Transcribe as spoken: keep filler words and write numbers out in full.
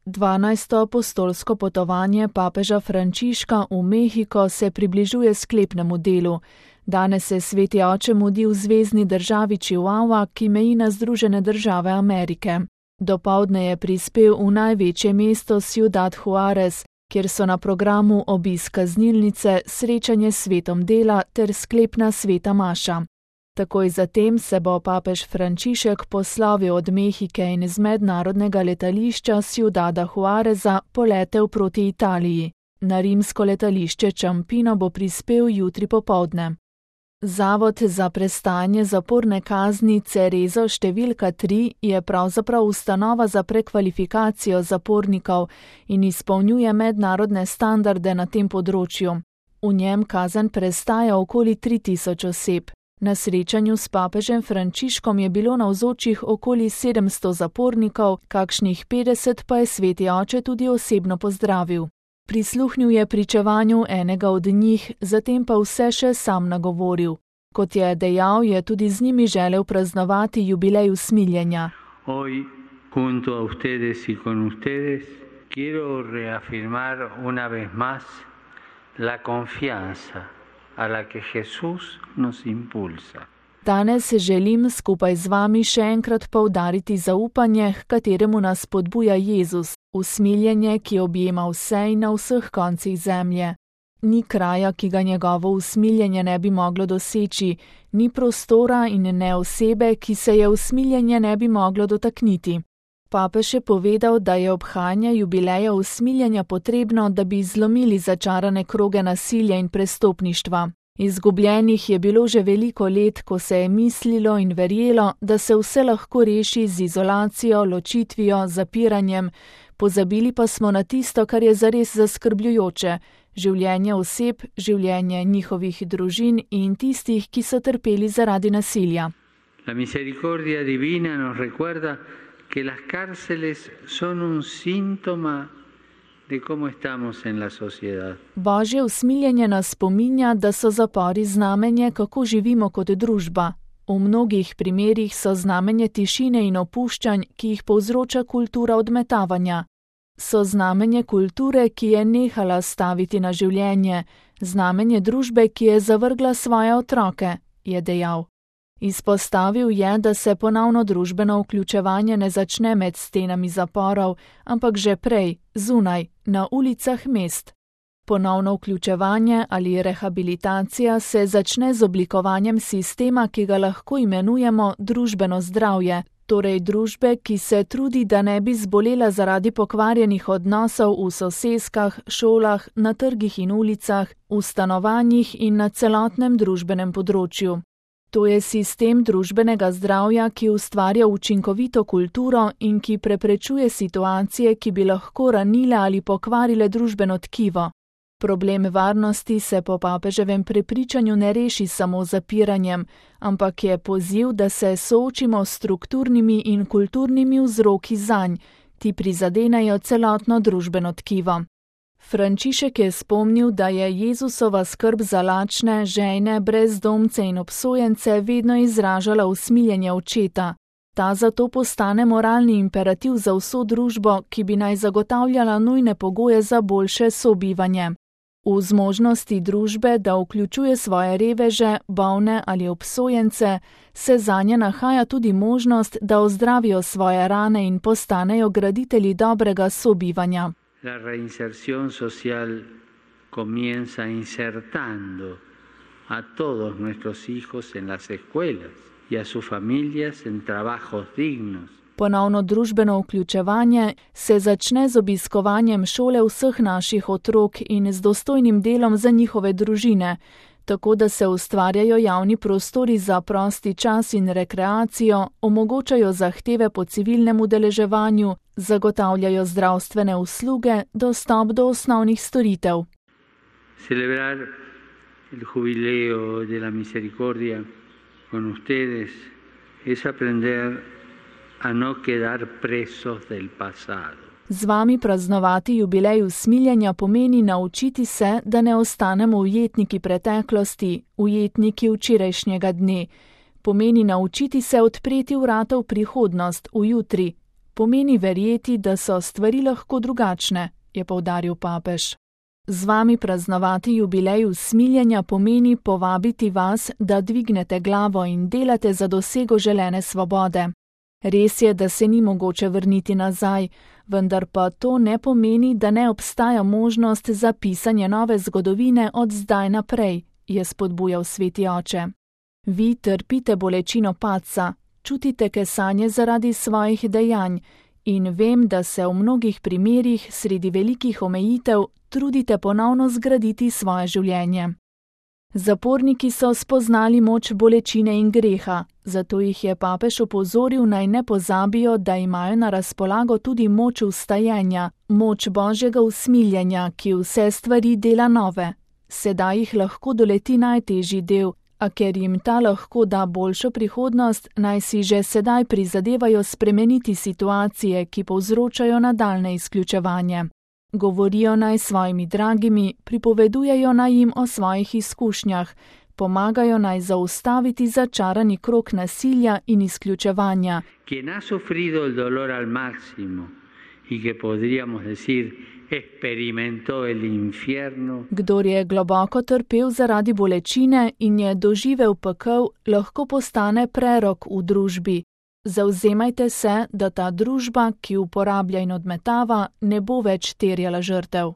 Dvanajsto apostolsko potovanje papeža Frančiška v Mehiko se približuje sklepnemu delu. Danes se sveti oče mudi v zvezni državi Chihuahua, ki meji na Združene države Amerike. Dopoldne je prispel v največje mesto Ciudad Juárez, kjer so na programu obisk kaznilnice, srečanje s svetom dela ter sklepna sveta maša. Takoj zatem se bo papež Frančišek poslovil od Mehike in z mednarodnega letališča Ciudada Juáreza poletel proti Italiji. Na rimsko letališče Ciampino bo prispel jutri popoldne. Zavod za prestajanje zaporne kazni Cerezo številka tri je pravzaprav ustanova za prekvalifikacijo zapornikov in izpolnjuje mednarodne standarde na tem področju. V njem kazen prestaja okoli tri tisoč oseb. Na srečanju s papežem Frančiškom je bilo navzočih okoli sedemsto zapornikov, kakšnih petdeset pa je sveti oče tudi osebno pozdravil. Prisluhnil je pričevanju enega od njih, zatem pa vse še sam nagovoril. Kot je dejal, je tudi z njimi želel praznovati jubilej usmiljenja. Hoy, junto a ustedes y con ustedes, quiero reafirmar una vez más la confianza a la que Jesús nos impulsa. Danes želim skupaj z vami še enkrat poudariti zaupanje, h kateremu nas spodbuja Jezus, usmiljenje, ki objema vse in na vseh koncih zemlje. Ni kraja, ki ga njegovo usmiljenje ne bi moglo doseči, ni prostora in ne osebe, ki se je usmiljenje ne bi moglo dotakniti. Papež je povedal, da je obhajanje jubileja usmiljenja potrebno, da bi zlomili začarane kroge nasilja in prestopništva. Izgubljenih je bilo že veliko let, ko se je mislilo in verjelo, da se vse lahko reši z izolacijo, ločitvijo, zapiranjem, pozabili pa smo na tisto, kar je zares zaskrbljujoče, življenje oseb, življenje njihovih družin in tistih, ki so trpeli zaradi nasilja. La misericordia divina nos recuerda que las cárceles son un síntoma de cómo estamos en la sociedad. Božje usmiljenje nas spominja, da so zapori znamenje, kako živimo kot družba. V mnogih primerih so znamenje tišine in opuščanj, ki jih povzroča kultura odmetavanja. So znamenje kulture, ki je nehala staviti na življenje, znamenje družbe, ki je zavrgla svoje otroke, je dejal. Izpostavil je, da se ponovno družbeno vključevanje ne začne med stenami zaporov, ampak že prej, zunaj, na ulicah mest. Ponovno vključevanje ali rehabilitacija se začne z oblikovanjem sistema, ki ga lahko imenujemo družbeno zdravje, torej družbe, ki se trudi, da ne bi zbolela zaradi pokvarjenih odnosov v soseskah, šolah, na trgih in ulicah, v stanovanjih in na celotnem družbenem področju. To je sistem družbenega zdravja, ki ustvarja učinkovito kulturo in ki preprečuje situacije, ki bi lahko ranile ali pokvarile družbeno tkivo. Problem varnosti se po papeževem prepričanju ne reši samo z zapiranjem, ampak je poziv, da se soočimo s strukturnimi in kulturnimi vzroki zanj, ti prizadenejo celotno družbeno tkivo. Frančišek je spomnil, da je Jezusova skrb za lačne, žejne, brezdomce in obsojence vedno izražala usmiljenje očeta. Ta zato postane moralni imperativ za vso družbo, ki bi naj zagotavljala nujne pogoje za boljše sobivanje. V zmožnosti družbe, da vključuje svoje reveže, bolne ali obsojence, se zanje nahaja tudi možnost, da ozdravijo svoje rane in postanejo graditelji dobrega sobivanja. La reinserción social comienza insertando a todos nuestros hijos en las escuelas y a sus familias en trabajos dignos. Ponovno družbeno vključevanje se začne z obiskovanjem šole vseh naših otrok in z dostojnim delom za njihove družine, tako da se ustvarjajo javni prostori za prosti čas in rekreacijo, omogočajo zahteve po civilnem udeleževanju, zagotavljajo zdravstvene usluge, dostop do osnovnih storitev. Celebrar el jubileo de la misericordia con ustedes es aprender a no quedar presos del pasado. Z vami praznovati jubilej usmiljenja pomeni naučiti se, da ne ostanemo ujetniki preteklosti, ujetniki včerajšnjega dne. Pomeni naučiti se odpreti vrata v prihodnost, v jutri. pomeni verjeti, da so stvari lahko drugačne, je poudaril papež. Z vami praznovati jubilej usmiljenja pomeni povabiti vas, da dvignete glavo in delate za dosego želene svobode. Res je, da se ni mogoče vrniti nazaj, vendar pa to ne pomeni, da ne obstaja možnost za pisanje nove zgodovine od zdaj naprej, je spodbujal sveti oče. Vi trpite bolečino padca, čutite kesanje zaradi svojih dejanj in vem, da se v mnogih primerih sredi velikih omejitev trudite ponovno zgraditi svoje življenje. Zaporniki so spoznali moč bolečine in greha, zato jih je papež opozoril, naj ne pozabijo, da imajo na razpolago tudi moč vstajenja, moč Božjega usmiljenja, ki vse stvari dela nove. Sedaj jih lahko doleti najtežji del, a ker jim ta lahko da boljšo prihodnost, naj si že sedaj prizadevajo spremeniti situacije, ki povzročajo nadaljne izključevanje. Govorijo naj svojimi dragimi, pripovedujejo naj jim o svojih izkušnjah, pomagajo naj zaustaviti začarani krog nasilja in izključevanja. Quien ha sufrido el dolor al máximo y que podríamos decir experimentó el infierno. Kdor je globoko trpel zaradi bolečine in je doživel pekel, lahko postane prerok v družbi. Zavzemajte se, da ta družba, ki uporablja in odmetava, ne bo več terjala žrtev.